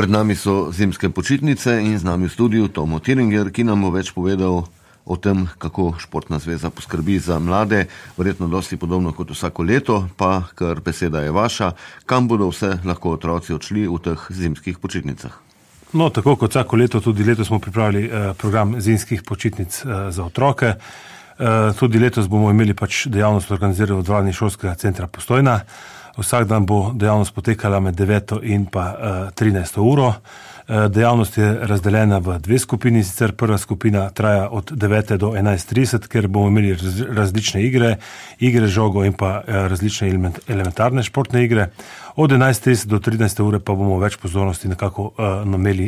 Pred nami so zimske počitnice in z nami v studiu Tomo Tiringer, ki nam bo več povedal o tem, kako Športna zveza poskrbi za mlade, verjetno dosti podobno kot vsako leto, pa kar beseda je vaša, kam bodo vse lahko otroci odšli v teh zimskih počitnicah. No, tako kot vsako leto, tudi letos smo pripravili program zimskih počitnic za otroke. Tudi letos bomo imeli dejavnost organizirano v dvorani šolskega centra Postojna. Vsak dan bo dejavnost potekala med 9 in pa 13 uro. Dejavnost je razdeljena v dve skupini, sicer prva skupina traja od 9 do 11:30, ker bomo imeli različne igre žogo in pa različne elementarne športne igre. Od 11:30 do 13 ure pa bomo več pozornosti nekako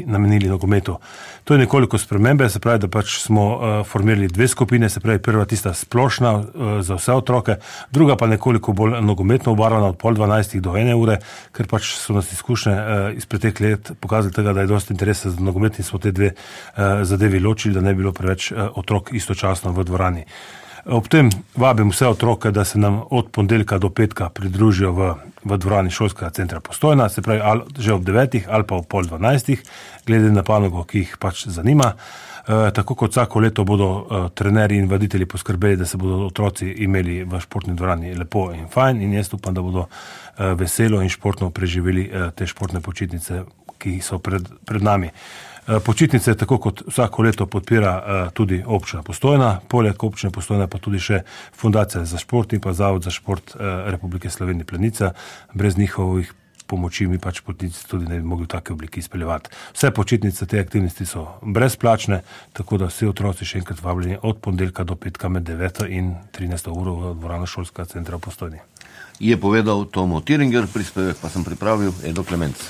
namenili nogometu. To je nekoliko spremembe, se pravi, da smo formirali dve skupine, se pravi prva tista splošna za vse otroke, druga pa nekoliko bolj nogometno obarvana od 11:30 do 1 ure, ker so nas izkušnje iz preteklih let pokazali tega, da je dosti interesa za nogomet in smo te dve zadevi ločili, da ne bi bilo preveč otrok istočasno v dvorani. Ob tem vabim vse otroke, da se nam od ponedeljka do petka pridružijo v dvorani šolskega centra Postojna, se pravi že ob 9 ali pa ob 11:30, glede na panogo, ki jih zanima. Tako kot vsako leto bodo trenerji in vaditelji poskrbeli, da se bodo otroci imeli v športni dvorani lepo in fajn, in jaz upam, da bodo veselo in športno preživeli te športne počitnice, ki so pred nami. Počitnice, tako kot vsako leto, podpira tudi občina Postojna, poleg občine Postojna pa tudi še Fundacija za šport in pa Zavod za šport Republike Slovenije Planica. Brez njihovih pomoči mi počitnice tudi ne bi mogli v take obliki izpeljevati. Vse počitnice, te aktivnosti so brezplačne, tako da vsi otroci še enkrat vabljeni od ponedeljka do petka med 9 in 13 uro v dvorano šolskega centra v Postojni. Je povedal Tomo Tiringer, prispevek pa sem pripravil Edo Klemenc.